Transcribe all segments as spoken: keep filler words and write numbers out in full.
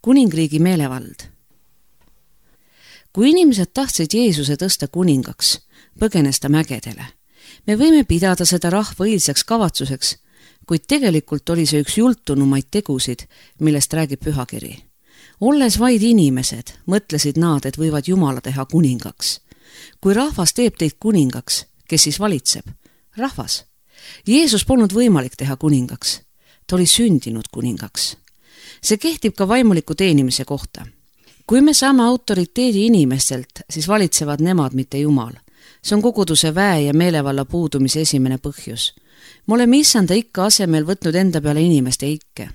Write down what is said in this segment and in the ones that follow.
kuningriigi meelevald. Kui inimesed tahtsid Jeesuse tõsta kuningaks, põgenes ta mägedele. Me võime pidada seda rahva õilsaks kavatsuseks, kuid tegelikult oli see üks jultunumaid tegusid, millest räägib pühakiri. Olles vaid inimesed, mõtlesid nad, et võivad Jumala teha kuningaks. Kui rahvas teeb teid kuningaks, kes siis valitseb? Rahvas. Jeesus polnud võimalik teha kuningaks. Ta oli sündinud kuningaks. See kehtib ka vaimuliku teenimise kohta. Kui me saame autoriteedi inimestelt, siis valitsevad nemad, mitte Jumal. See on koguduse väe ja meelevalla puudumise esimene põhjus. Me oleme issanda ikka asemel võtnud enda peale inimeste ikke.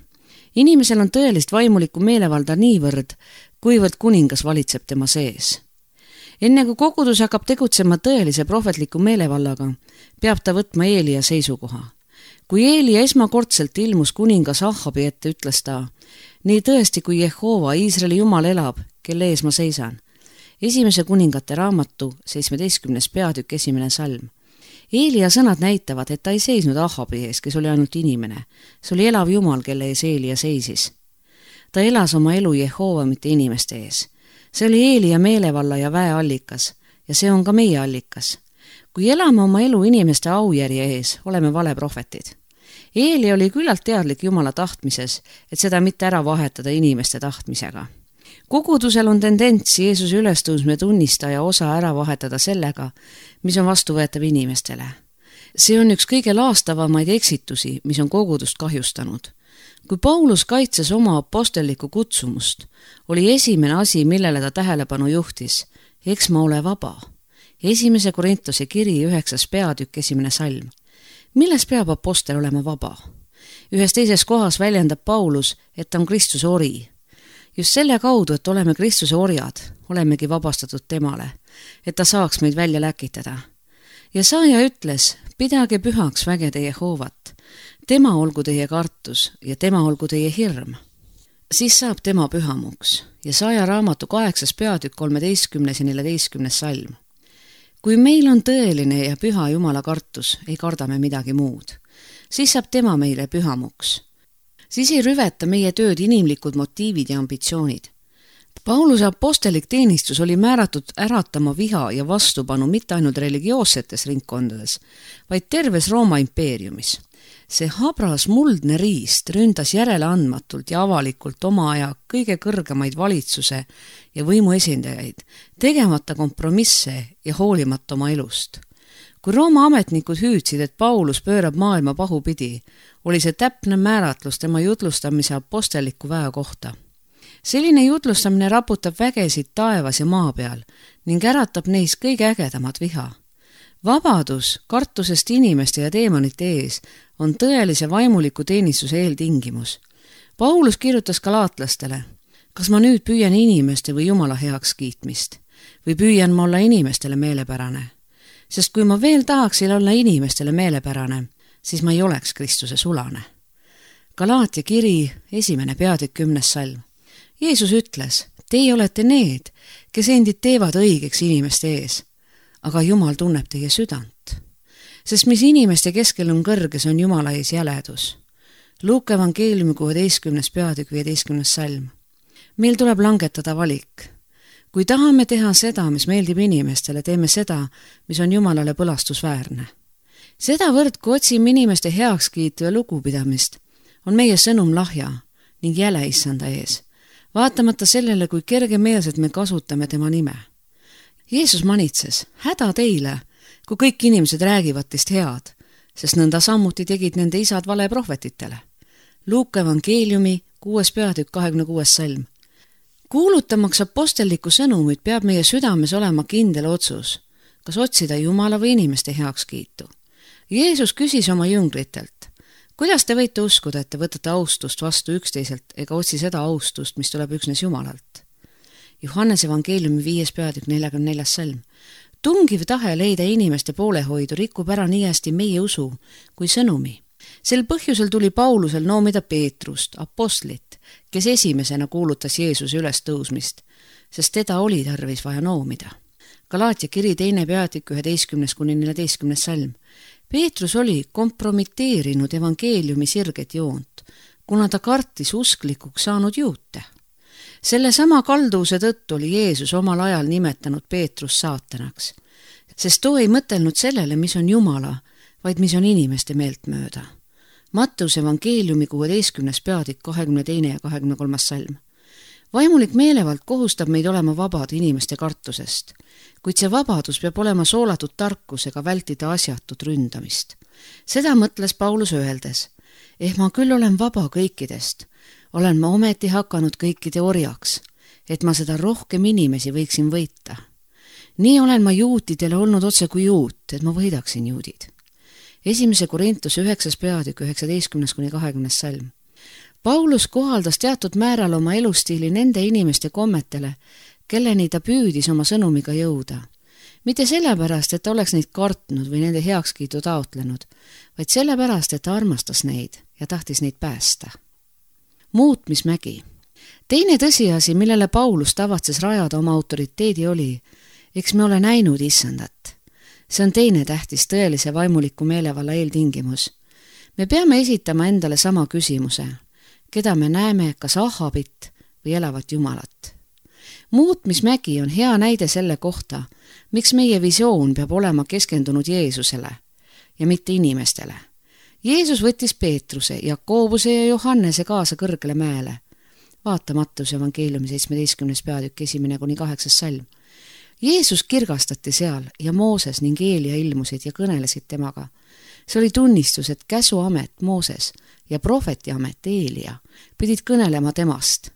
Inimesel on tõelist vaimulikku meelevalda niivõrd, kuivõrd kuningas valitseb tema sees. Enne kui kogudus hakkab tegutsema tõelise prohvetliku meelevallaga, peab ta võtma Eelia seisukoha. Kui Eelia esmakordselt ilmus kuningas Ahabi ette, ütles ta: nii tõesti, kui Jehova, Iisraeli Jumal elab, kelle ees ma seisan. Esimese kuningate raamatu, seitsmeteistkümnes peatükk, esimene salm. Eelia sõnad näitavad, et ta ei seisnud Ahabi ees, kes oli ainult inimene. See oli elav Jumal, kelle ees Eelia seisis. Ta elas oma elu Jehova, mitte inimeste ees. See oli Eelia meelevalla ja väe allikas ja see on ka meie allikas. Kui elame oma elu inimeste aujärje ees, oleme valeprohvetid. Eelia oli küllalt teadlik Jumala tahtmises, et seda mitte ära vahetada inimeste tahtmisega. Kogudusel on tendents Jeesuse ülestõusme tunnistaja osa ära vahetada sellega, mis on vastuvõetav inimestele. See on üks kõige laastavamaid eksitusi, mis on kogudust kahjustanud. Kui Paulus kaitses oma apostellikku kutsumust, oli esimene asi, millele ta tähelepanu juhtis: eks ma ole vaba. Esimese Korintuse kiri üheksas peatükk, esimene salm. Milles peab apostel olema vaba? Ühes teises kohas väljendab Paulus, et ta on Kristuse ori. Just selle kaudu, et oleme Kristuse orjad, olemegi vabastatud temale, et ta saaks meid välja läkitada. Ja saaja ütles: pidage pühaks vägede Jehovat. Tema olgu teie kartus ja tema olgu teie hirm. Siis saab tema pühamuks ja saaja raamatu kaheksas peatükk, kolmeteistkümnes ja neljateistkümnes salm. Kui meil on tõeline ja püha Jumala kartus, ei karda me midagi muud. Siis saab tema meile pühamuks. Siis ei rüveta meie tööd inimlikud motiivid ja ambitsioonid. Pauluse apostelik teenistus oli määratud äratama viha ja vastupanu mitte ainult religioossetes ringkondades, vaid terves Rooma impeeriumis. See habras muldne riist ründas järele andmatult ja avalikult oma aja kõige kõrgemaid valitsuse ja võimu esindajaid, tegemata kompromisse ja hoolimata oma elust. Kui Rooma ametnikud hüüdsid, et Paulus pöörab maailma pahupidi, oli see täpne määratlus tema jutlustamise apostelliku väe kohta. Selline jutlustamine raputab vägesid taevas ja maa peal ning äratab neis kõige ägedamat viha. Vabadus kartusest inimeste ja teemonite ees on tõelise vaimuliku teenistuse eeltingimus. Paulus kirjutas galaatlastele: kas ma nüüd püüan inimeste või Jumala heaks kiitmist või püüan ma olla inimestele meelepärane? Sest kui ma veel tahaksin olla inimestele meelepärane, siis ma ei oleks Kristuse sulane. Galaatia kiri, esimene peatükk, kümnes salm. Jeesus ütles: teie olete need, kes endid teevad õigeks inimeste ees, aga Jumal tunneb teie südant. Sest mis inimeste keskel on kõrges, on Jumala ees jäledus. Luuka evangeeliumi kuueteistkümnes peatükk, viieteistkümnes salm. Meil tuleb langetada valik. Kui tahame teha seda, mis meeldib inimestele, teeme seda, mis on Jumalale põlastusväärne. Sedavõrd, kui otsime inimeste heakskiitu ja lugupidamist, on meie sõnum lahja ning jäle issanda ees, vaatamata sellele, kui kergemeelselt me kasutame tema nime. Jeesus manitses: häda teile, kui kõik inimesed räägivad teist head, sest nõnda samuti tegid nende isad valeprohvetitele. Luuka evangeeliumi kuues peatükk, kahekümne kuues salm. Kuulutamaks apostelliku sõnumit peab meie südames olema kindel otsus, kas otsida Jumala või inimeste heakskiitu. Jeesus küsis oma jüngritelt: kuidas te võite uskuda, et te võtate austust vastu üksteiselt ega otsi seda austust, mis tuleb üksnes Jumalalt? Johannes evangeeliumi viies peatükk, neljakümne neljas salm. Tungiv tahe leida inimeste poolehoidu rikub ära nii hästi meie usu kui sõnumi. Sel põhjusel tuli Paulusel noomida Peetrust, apostlit, kes esimesena kuulutas Jeesuse ülestõusmist, sest teda oli tarvis vaja noomida. Galaatia kiri teine peatükk, üheteistkümnes kuni neljateistkümnes salm. Peetrus oli kompromiteerinud evangeeliumi sirget joont, kuna ta kartis usklikuks saanud juute. selle sama kalduvuse tõttu oli Jeesus omal ajal nimetanud Peetrus saatanaks, sest too ei mõtelnud sellele, mis on Jumala, vaid mis on inimeste meeltmööda. Mattuse evangeeliumi kuueteistkümnes peatükk kahekümne teine ja kahekümne kolmas salm. Vaimulik meelevald kohustab meid olema vabad inimeste kartusest, kuid see vabadus peab olema soolatud tarkusega vältida asjatut ründamist. Seda mõtles Paulus öeldes, ehk ma küll olen vaba kõikidest, olen ma ometi hakanud kõikide orjaks, et ma seda rohkem inimesi võiksin võita. Nii olen ma juutidele olnud otse kui juut, et ma võidaksin juudid. Esimese Korintuse üheksas peatükk üheksateistkümnes kuni kahekümnes salm. Paulus kohaldas teatud määral oma elustiili nende inimeste kommetele, kelleni ta püüdis oma sõnumiga jõuda. Mitte sellepärast, et ta oleks neid kartnud või nende heakskiidu taotlenud, vaid sellepärast, et ta armastas neid ja tahtis neid päästa. Muutmismägi. Teine tõsiasi, millele Paulus tavatses rajada oma autoriteedi oli, eks me ole näinud issandat. See on teine tähtis tõelise vaimuliku meelevalla eeltingimus. Me peame esitama endale sama küsimuse, keda me näeme, kas Ahabit või elavat Jumalat. Muutmismägi on hea näide selle kohta, miks meie visioon peab olema keskendunud Jeesusele ja mitte inimestele. Jeesus võttis Peetruse, Jakobuse ja Johannese kaasa kõrgele mäele. Vaata Mattuse evangeeliumi seitsmeteistkümnes peatükk esimene kuni kaheksas salm. Jeesus kirgastati seal ja Mooses ning Eelia ilmusid ja kõnelesid temaga. See oli tunnistus, et käsuamet Mooses ja prohveti amet Eelia pidid kõnelema temast.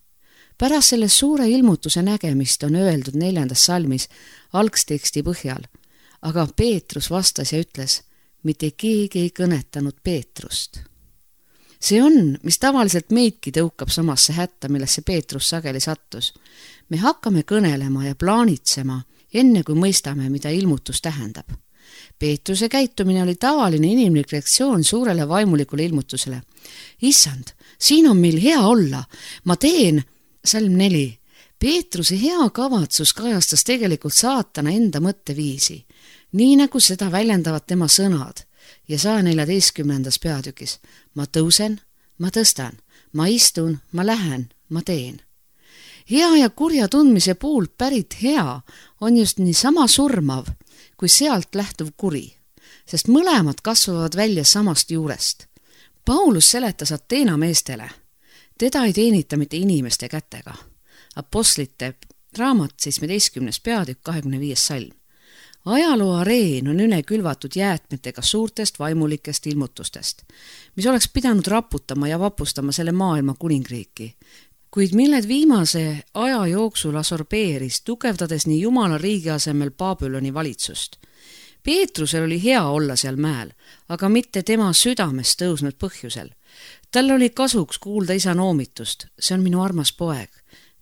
Pärast selle suure ilmutuse nägemist on öeldud neljandas salmis algsteksti põhjal, aga Peetrus vastas ja ütles, mitte keegi ei kõnetanud Peetrust. See on, mis tavaliselt meidki tõukab samasse hätta, millesse Peetrus sageli sattus. Me hakkame kõnelema ja plaanitsema, enne kui mõistame, mida ilmutus tähendab. Peetruse käitumine oli tavaline inimlik reaktsioon suurele vaimulikule ilmutusele. Issand, siin on meil hea olla, ma teen... Salm neli. Peetruse hea kavatsus kajastas tegelikult saatana enda mõtteviisi, nii nagu seda väljendavad tema sõnad ja saja neljateistkümnendas peatükis. Ma tõusen, ma tõstan, ma istun, ma lähen, ma teen. Hea ja kurja tundmise puult pärit hea on just nii sama surmav kui sealt lähtuv kuri, sest mõlemad kasvavad välja samast juurest. Paulus seletas Ateena meestele, teda ei teenita mitte inimeste kätega. Apostlite raamat seitsmeteistkümnes peatükk kahekümne viies salm. Ajaloo areen on üle külvatud jäätmetega suurtest vaimulikest ilmutustest, mis oleks pidanud raputama ja vapustama selle maailma kuningriiki, kuid milled viimase aja jooksul asorbeeris, tugevdades nii Jumala riigi asemel Babyloni valitsust. Peetrusel oli hea olla seal mäel, aga mitte tema südamest tõusnud põhjusel. Tal oli kasuks kuulda isa noomitust, see on minu armas poeg,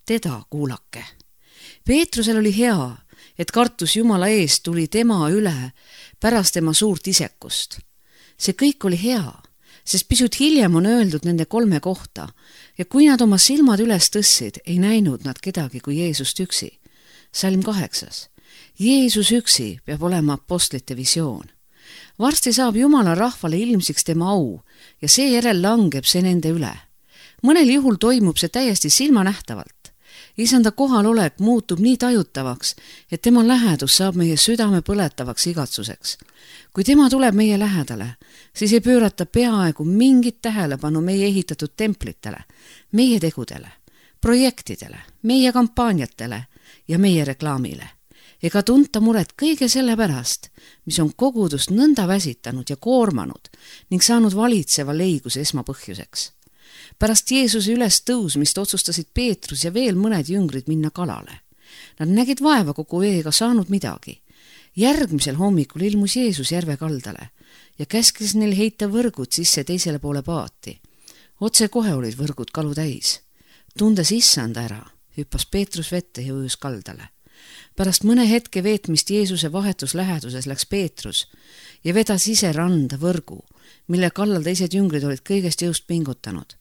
teda kuulake. Peetrusel oli hea, et kartus Jumala eest tuli tema üle pärast tema suurt isekust. See kõik oli hea, sest pisut hiljem on öeldud nende kolme kohta ja kui nad oma silmad üles tõssid, ei näinud nad kedagi kui Jeesust üksi. Salm kaheksas. Jeesus üksi peab olema apostlite visioon. Varsti saab Jumala rahvale ilmsiks tema au ja seejärel langeb see nende üle. Mõnel juhul toimub see täiesti silmanähtavalt. Isanda kohalolek muutub nii tajutavaks, et tema lähedus saab meie südame põletavaks igatsuseks. Kui tema tuleb meie lähedale, siis ei pöörata peaaegu mingit tähelepanu meie ehitatud templitele, meie tegudele, projektidele, meie kampaaniatele ja meie reklaamile. Ega tunta muret kõige selle pärast, mis on kogudust nõnda väsitanud ja koormanud ning saanud valitseva leiguse esmapõhjuseks. Pärast Jeesuse üles tõusmist otsustasid Peetrus ja veel mõned jüngrid minna kalale. Nad nägid vaeva kogu veega saanud midagi. Järgmisel hommikul ilmus Jeesus järve kaldale ja käskis neil heita võrgud sisse teisele poole paati. Otse kohe olid võrgud kalu täis. Tundes issanda ära, hüppas Peetrus vette ja ujus kaldale. Pärast mõne hetke veetmist Jeesuse vahetus läheduses läks Peetrus ja vedas ise randa võrgu, mille kallal teised jüngrid olid kõigest jõust pingutanud.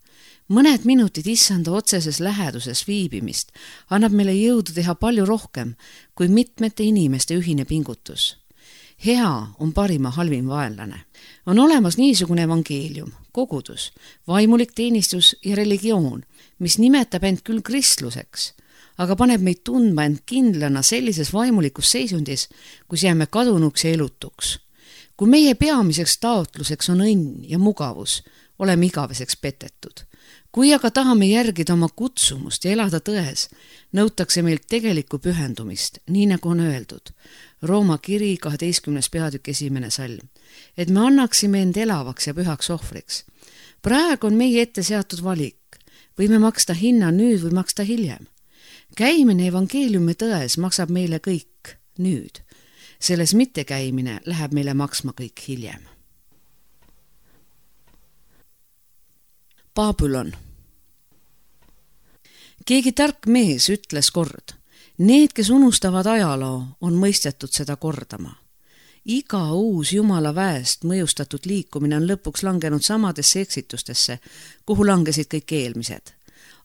Mõned minutid issanda otseses läheduses viibimist annab meile jõudu teha palju rohkem kui mitmete inimeste ühine pingutus. Hea on parima halvim vaenlane. On olemas niisugune evangeelium, kogudus, vaimulik teenistus ja religioon, mis nimetab end küll kristluseks, aga paneb meid tundma end kindlana sellises vaimulikus seisundis, kus jääme kadunuks ja elutuks. Kui meie peamiseks taotluseks on õnn ja mugavus, oleme igaveseks petetud. Kui aga tahame järgida oma kutsumust ja elada tões, nõutakse meilt tegelikku pühendumist, nii nagu on öeldud. Rooma kiri kaheteistkümnes peatükk esimene salm, et me annaksime end elavaks ja pühaks ohvriks. Praegu on meie ette seatud valik, võime maksta hinna nüüd või maksta hiljem. Käimine evangeeliumi tões maksab meile kõik nüüd. Selles mittekäimine läheb meile maksma kõik hiljem. Babylon. Keegi tark mees ütles kord, need, kes unustavad ajaloo, on mõistetud seda kordama. Iga uus Jumala väest mõjustatud liikumine on lõpuks langenud samadesse eksitustesse, kuhu langesid kõik eelmised.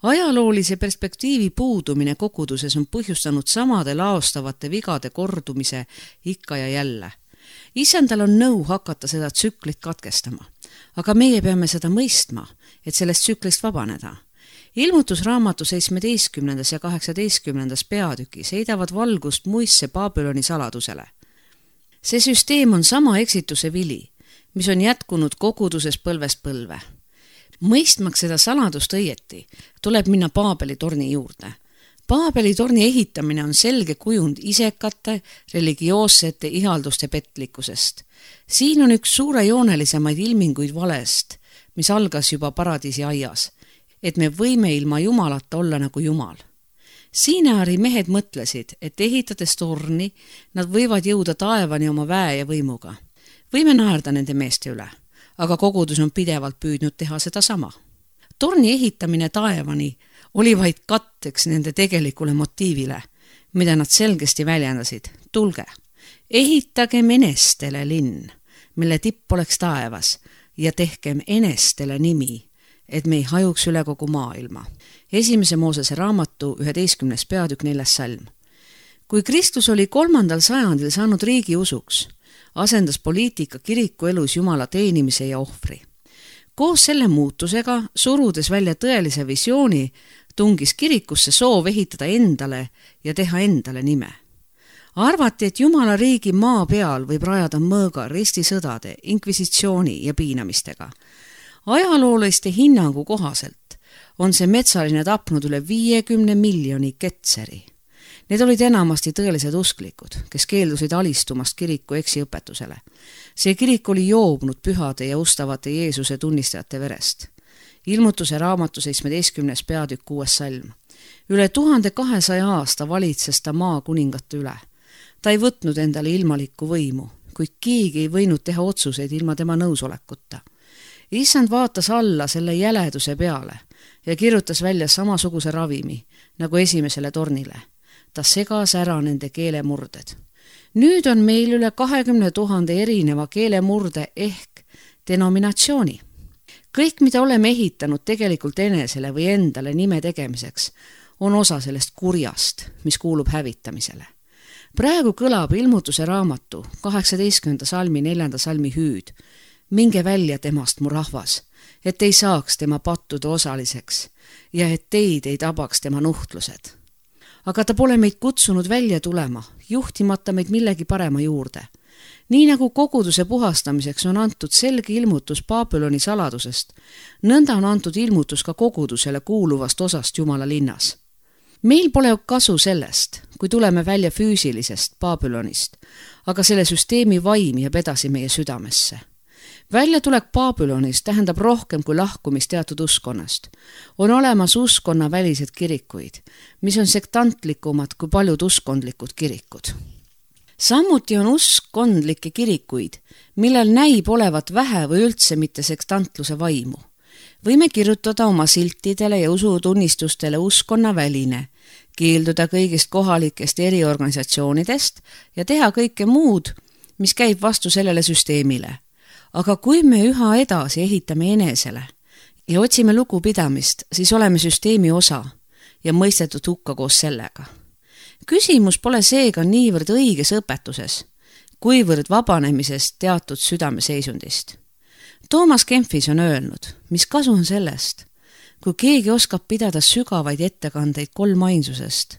Ajaloolise perspektiivi puudumine koguduses on põhjustanud samade laostavate vigade kordumise ikka ja jälle. Isandal on nõu hakata seda tsüklit katkestama, aga meie peame seda mõistma, et sellest tsüklist vabaneda. Ilmutusraamatu seitsmeteistkümnendas ja kaheksateistkümnendas peatükis heidavad valgust muisse Babyloni saladusele. See süsteem on sama eksituse vili, mis on jätkunud koguduses põlvest põlve. Mõistmaks seda saladust õieti, tuleb minna Paabeli torni juurde. Paabeli torni ehitamine on selge kujund isekate, religioossete ihalduste petlikkusest. Siin on üks suurejoonelisemaid ilminguid valest, mis algas juba paradiisi aias, et me võime ilma Jumalata olla nagu Jumal. Siineari mehed mõtlesid, et ehitades torni, nad võivad jõuda taevani oma väe ja võimuga. Võime naerda nende meeste üle, aga kogudus on pidevalt püüdnud teha seda sama. Torni ehitamine taevani oli vaid katteks nende tegelikule motiivile, mida nad selgesti väljendasid. Tulge, ehitagem enestele linn, mille tipp oleks taevas, ja tehkem enestele nimi, et me ei hajuks üle kogu maailma. Esimese Moosese raamatu üheteistkümnes peatükk neljas salm. Kui Kristus oli kolmandal sajandil saanud riigi usuks, asendas poliitika kiriku elus Jumala teenimise ja ohvri. Koos selle muutusega, surudes välja tõelise visiooni, tungis kirikusse soov ehitada endale ja teha endale nime. Arvati, et Jumala riigi maa peal võib rajada mõõga ristisõdade, inkvisitsiooni ja piinamistega. Ajalooliste hinnangu kohaselt on see metsaline tapnud üle viiekümne miljoni ketseri. Need olid enamasti tõelised usklikud, kes keeldusid alistumast kiriku eksiõpetusele. See kirik oli joobnud pühade ja ustavate Jeesuse tunnistajate verest. Ilmutuse raamatu seitsmeteistkümnes peatükk kuues salm. Üle tuhande kahesaja aasta valitses ta maa kuningate üle. Ta ei võtnud endale ilmalikku võimu, kuid keegi ei võinud teha otsuseid ilma tema nõusolekuta. Issand vaatas alla selle jäleduse peale ja kirjutas välja samasuguse ravimi nagu esimesele tornile. Ta segas ära nende keelemurded. Nüüd on meil üle kahekümne tuhande erineva keelemurde ehk denominatsiooni. Kõik, mida oleme ehitanud tegelikult enesele või endale nime tegemiseks, on osa sellest kurjast, mis kuulub hävitamisele. Praegu kõlab ilmutuse raamatu kaheksateistkümnenda salmi neljanda salmi hüüd. Minge välja temast, mu rahvas, et ei saaks tema pattude osaliseks ja et teid ei tabaks tema nuhtlused. Aga ta pole meid kutsunud välja tulema, juhtimata meid millegi parema juurde. Nii nagu koguduse puhastamiseks on antud selge ilmutus Babyloni saladusest, nõnda on antud ilmutus ka kogudusele kuuluvast osast Jumala linnas. Meil pole kasu sellest, kui tuleme välja füüsilisest Babylonist, aga selle süsteemi vaim jääb edasi meie südamesse. Väljatulek Babylonist tähendab rohkem kui lahkumist teatud uskonnast. On olemas uskonna välised kirikuid, mis on sektantlikumad kui paljud uskondlikud kirikud. Samuti on uskondlikke kirikuid, millel näib olevat vähe või üldse mitte sektantluse vaimu. Võime kirjutada oma siltidele ja usutunnistustele uskonna väline, keelduda kõigist kohalikest eriorganisatsioonidest ja teha kõike muud, mis käib vastu sellele süsteemile. Aga kui me üha edasi ehitame enesele ja otsime lugupidamist, siis oleme süsteemi osa ja mõistetud hukka koos sellega. Küsimus pole seega niivõrd õiges õpetuses, kuivõrd vabanemisest teatud südameseisundist. Toomas Kempis on öelnud, mis kasu on sellest, kui keegi oskab pidada sügavaid ettekandeid kolmainsusest,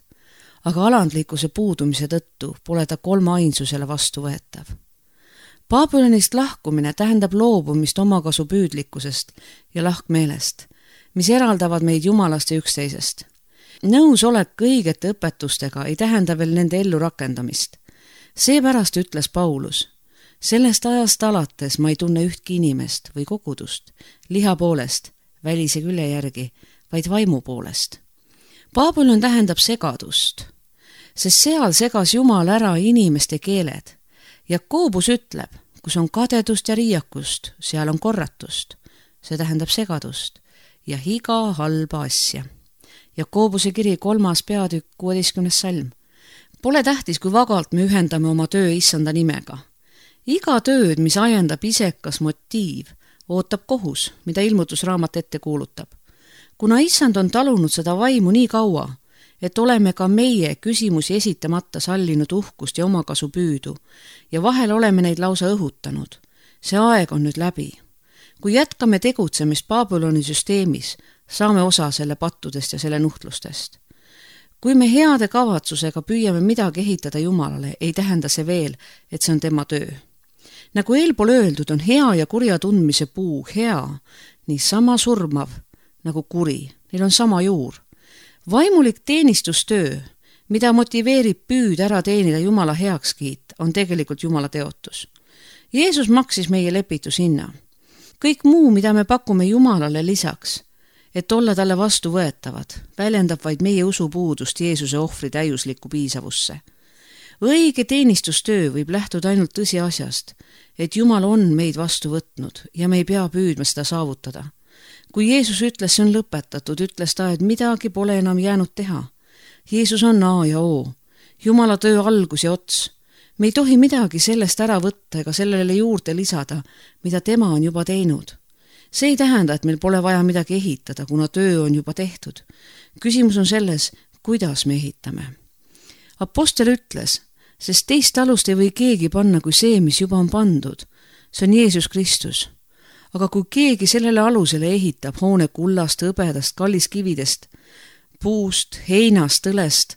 aga alandlikkuse puudumise tõttu pole ta kolmainsusele vastuvõetav. Babylonist lahkumine tähendab loobumist omakasu püüdlikkusest ja lahkmeelest, mis eraldavad meid jumalast ja üksteisest. Nõusolek õigete õpetustega ei tähenda veel nende ellu rakendamist. Seepärast ütles Paulus, sellest ajast alates ma ei tunne ühtki inimest või kogudust, liha poolest, välise külje järgi, vaid vaimu poolest. Babylon tähendab segadust, sest seal segas Jumal ära inimeste keeled. Jakobus ütleb, kus on kadedust ja riiakust, seal on korratust, see tähendab segadust ja iga halba asja. Jakobuse kiri kolmas peatükk kuueteistkümnes salm. Pole tähtis, kui vagalt me ühendame oma töö issanda nimega. Iga tööd, mis ajendab isekas motiiv, ootab kohus, mida ilmutusraamat ette kuulutab. Kuna issand on talunud seda vaimu nii kaua, et oleme ka meie küsimusi esitamata sallinud uhkust ja omakasu püüdu ja vahel oleme neid lausa õhutanud. See aeg on nüüd läbi. Kui jätkame tegutsemist Babyloni süsteemis, saame osa selle pattudest ja selle nuhtlustest. Kui me heade kavatsusega püüame midagi ehitada Jumalale, ei tähenda see veel, et see on tema töö. Nagu eelpool öeldud, on hea ja kurja tundmise puu hea, nii sama surmav nagu kuri. Neil on sama juur. Vaimulik teenistustöö, mida motiveerib püüd ära teenida Jumala heakskiit, on tegelikult Jumala teotus. Jeesus maksis meie lepitushinna. Kõik muu, mida me pakume Jumalale lisaks, et olla talle vastu võetavad, väljendab vaid meie usupuudust Jeesuse ohvri täiuslikku piisavusse. Õige teenistustöö võib lähtuda ainult tõsiasjast, et Jumal on meid vastu võtnud ja me ei pea püüdma seda saavutada. Kui Jeesus ütles, see on lõpetatud, ütles ta, et midagi pole enam jäänud teha. Jeesus on A ja O, Jumala töö algus ja ots. Me ei tohi midagi sellest ära võtta ega sellele juurde lisada, mida tema on juba teinud. See ei tähenda, et meil pole vaja midagi ehitada, kuna töö on juba tehtud. Küsimus on selles, kuidas me ehitame. Apostel ütles, sest teist alust ei või keegi panna kui see, mis juba on pandud. See on Jeesus Kristus. Aga kui keegi sellele alusele ehitab hoone kullast, hõbedast, kalliskividest, puust, heinast, õlest,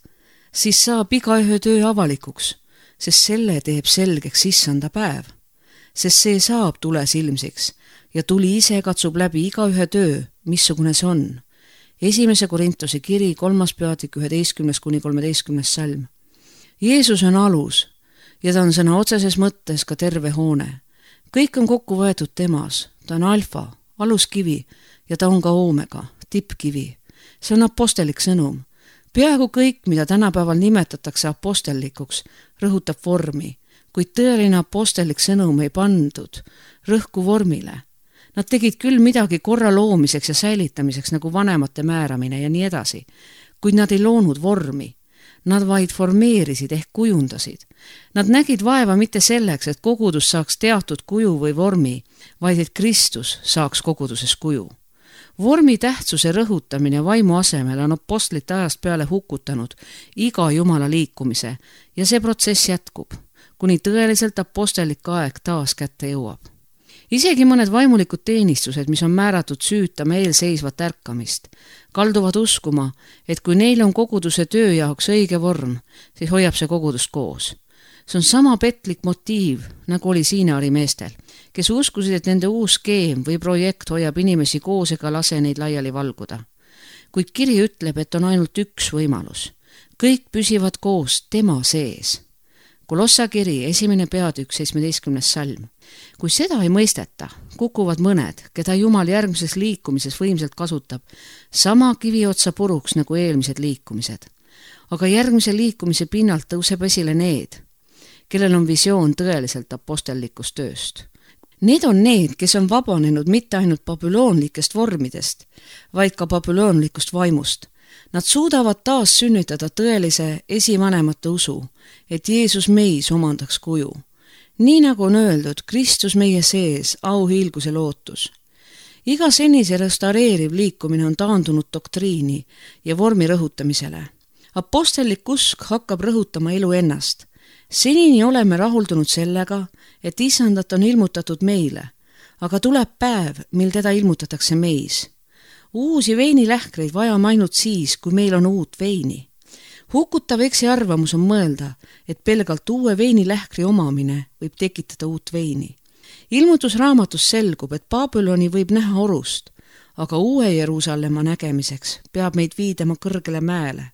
siis saab igaühe töö avalikuks, sest selle teeb selgeks issanda päev. Sest see saab tules ilmsiks ja tuli ise katsub läbi igaühe töö, missugune see on. Esimese Korintuse kiri kolmas peatükk üheteistkümnes kuni kolmeteistkümnes salm. Jeesus on alus ja ta on sõna otseses mõttes ka terve hoone. Kõik on kokku võetud temas. Ta on alfa, aluskivi ja ta on ka oomega, tippkivi. See on apostellik sõnum. Peaaegu kõik, mida tänapäeval nimetatakse apostellikuks, rõhutab vormi, kuid tõeline apostellik sõnum ei pandud rõhku vormile. Nad tegid küll midagi korra loomiseks ja säilitamiseks nagu vanemate määramine ja nii edasi, kuid nad ei loonud vormi. Nad vaid formeerisid ehk kujundasid. Nad nägid vaeva mitte selleks, et kogudus saaks teatud kuju või vormi, vaid et Kristus saaks koguduses kuju. Vormi tähtsuse rõhutamine vaimu asemel on apostlite ajast peale hukutanud iga Jumala liikumise ja see protsess jätkub, kuni tõeliselt apostellik aeg taas kätte jõuab. Isegi mõned vaimulikud teenistused, mis on määratud süütama eelseisvat ärkamist, kalduvad uskuma, et kui neil on koguduse töö jaoks õige vorm, siis hoiab see kogudust koos. See on sama petlik motiiv, nagu oli Siinaari meestel, kes uskusid, et nende uus skeem või projekt hoiab inimesi koos ega lase neid laiali valguda. Kuid kiri ütleb, et on ainult üks võimalus. Kõik püsivad koos tema sees. Kolossa kiri, esimene peatükk, seitsmeteistkümnes salm. Kui seda ei mõisteta, kukuvad mõned, keda Jumal järgmises liikumises võimselt kasutab, sama kiviotsa puruks nagu eelmised liikumised. Aga järgmise liikumise pinnalt tõuseb esile need, kellel on visioon tõeliselt apostellikust tööst. Need on need, kes on vabanenud mitte ainult babüloonlikest vormidest, vaid ka babüloonlikust vaimust. Nad suudavad taas sünnitada tõelise esivanemate usu, et Jeesus meis omandaks kuju. Nii nagu on öeldud, Kristus meie sees, auhiilguse lootus. Iga senise restaureeriv liikumine on taandunud doktriini ja vormi rõhutamisele. Apostellik usk hakkab rõhutama elu ennast. Senini oleme rahuldunud sellega, et isandat on ilmutatud meile, aga tuleb päev, mil teda ilmutatakse meis. Uusi veinilähkreid vajame ainult siis, kui meil on uut veini. Hukutav eksiarvamus on mõelda, et pelgalt uue veinilähkri omamine võib tekitada uut veini. Ilmutusraamatus selgub, et Babyloni võib näha orust, aga uue Jeruusalemma nägemiseks peab meid viidama kõrgele mäele.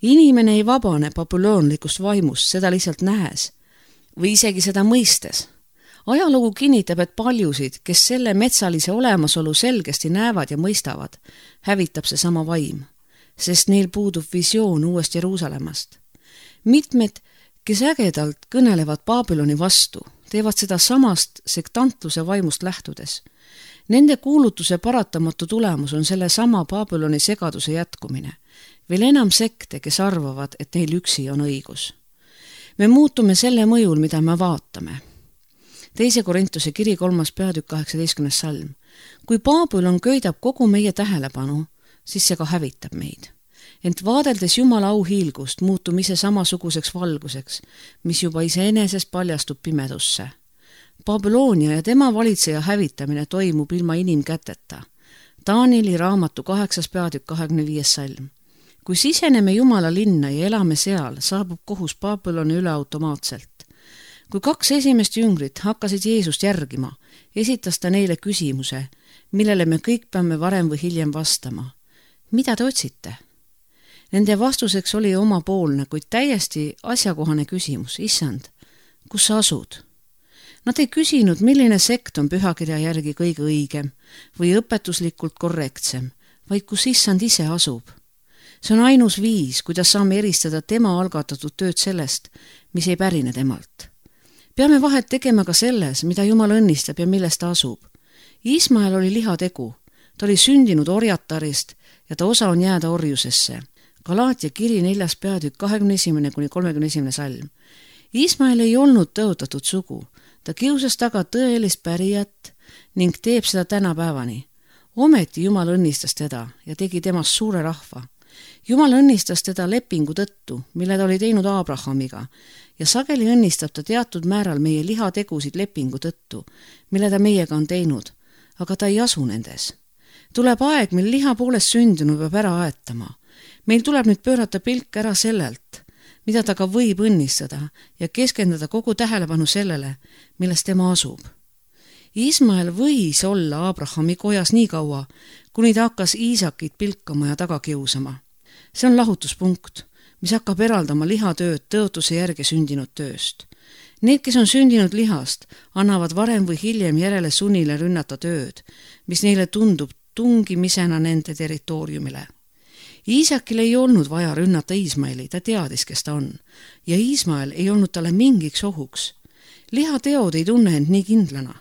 Inimene ei vabane babüloonlikust vaimust seda lihtsalt nähes või isegi seda mõistes. Ajalugu kinnitab, et paljusid, kes selle metsalise olemasolu selgesti näevad ja mõistavad, hävitab see sama vaim, sest neil puudub visioon uuest Jeruusalemmast. Mitmed, kes ägedalt kõnelevad Babyloni vastu, teevad seda samast sektantluse vaimust lähtudes. Nende kuulutuse paratamatu tulemus on selle sama Babyloni segaduse jätkumine. Veel enam sekte, kes arvavad, et neil üksi on õigus. Me muutume selle mõjul, mida me vaatame. Teise Korintuse kiri kolmas peatükk kaheksateistkümnes salm. Kui Babylon köidab kogu meie tähelepanu, siis see ka hävitab meid. Ent vaadeldes Jumala auhiilgust muutume ise samasuguseks valguseks, mis juba iseenesest paljastub pimedusse. Babyloonia ja tema valitseja hävitamine toimub ilma inimkäteta. Danieli raamatu kaheksas peatükk kahekümne viies salm. Kui siseneme Jumala linna ja elame seal, saabub kohus Babyloni üle automaatselt. Kui kaks esimest jüngrit hakkasid Jeesust järgima, esitas ta neile küsimuse, millele me kõik peame varem või hiljem vastama. Mida te otsite? Nende vastuseks oli omapoolne, kuid täiesti asjakohane küsimus. Issand, kus sa asud? Nad ei küsinud, milline sekt on pühakirja järgi kõige õigem või õpetuslikult korrektsem, vaid kus Issand ise asub. See on ainus viis, kuidas saame eristada tema algatatud tööd sellest, mis ei pärine temalt. Peame vahet tegema ka selles, mida Jumal õnnistab ja millest ta asub. Ismael oli lihategu, ta oli sündinud orjatarist ja ta osa on jääda orjusesse. Galaatia kiri neljas peatükk kahekümne esimene kuni kolmekümne esimene salm. Ismael ei olnud tõotatud sugu, ta kiusas taga tõelist pärijat ning teeb seda tänapäevani. Ometi Jumal õnnistas teda ja tegi temast suure rahva. Jumal õnnistas teda lepingu tõttu, mille ta oli teinud Abrahamiga, ja sageli õnnistab ta teatud määral meie lihategusid lepingu tõttu, mille ta meiega on teinud, aga ta ei asu nendes. Tuleb aeg, mil liha poolest sündinu peab ära aetama. Meil tuleb nüüd pöörata pilk ära sellelt, mida ta ka võib õnnistada ja keskenduda kogu tähelepanu sellele, milles tema asub. Ismael võis olla Abrahami kojas nii kaua, kuni ta hakkas Iisakit pilkama ja taga kiusama. See on lahutuspunkt, mis hakkab eraldama lihatööd tõotuse järgi sündinud tööst. Need, kes on sündinud lihast, annavad varem või hiljem järele sunnile rünnata tööd, mis neile tundub tungimisena nende territooriumile. Iisakil ei olnud vaja rünnata Ismaeli, ta teadis, kes ta on, ja Ismael ei olnud talle mingiks ohuks. Lihateod ei tunne end nii kindlana.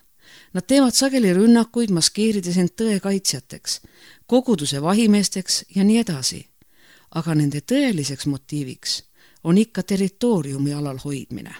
Nad teevad sageli rünnakuid, maskeerides end tõe kaitsjateks, koguduse vahimeesteks ja nii edasi. Aga nende tõeliseks motiiviks on ikka territooriumi alal hoidmine.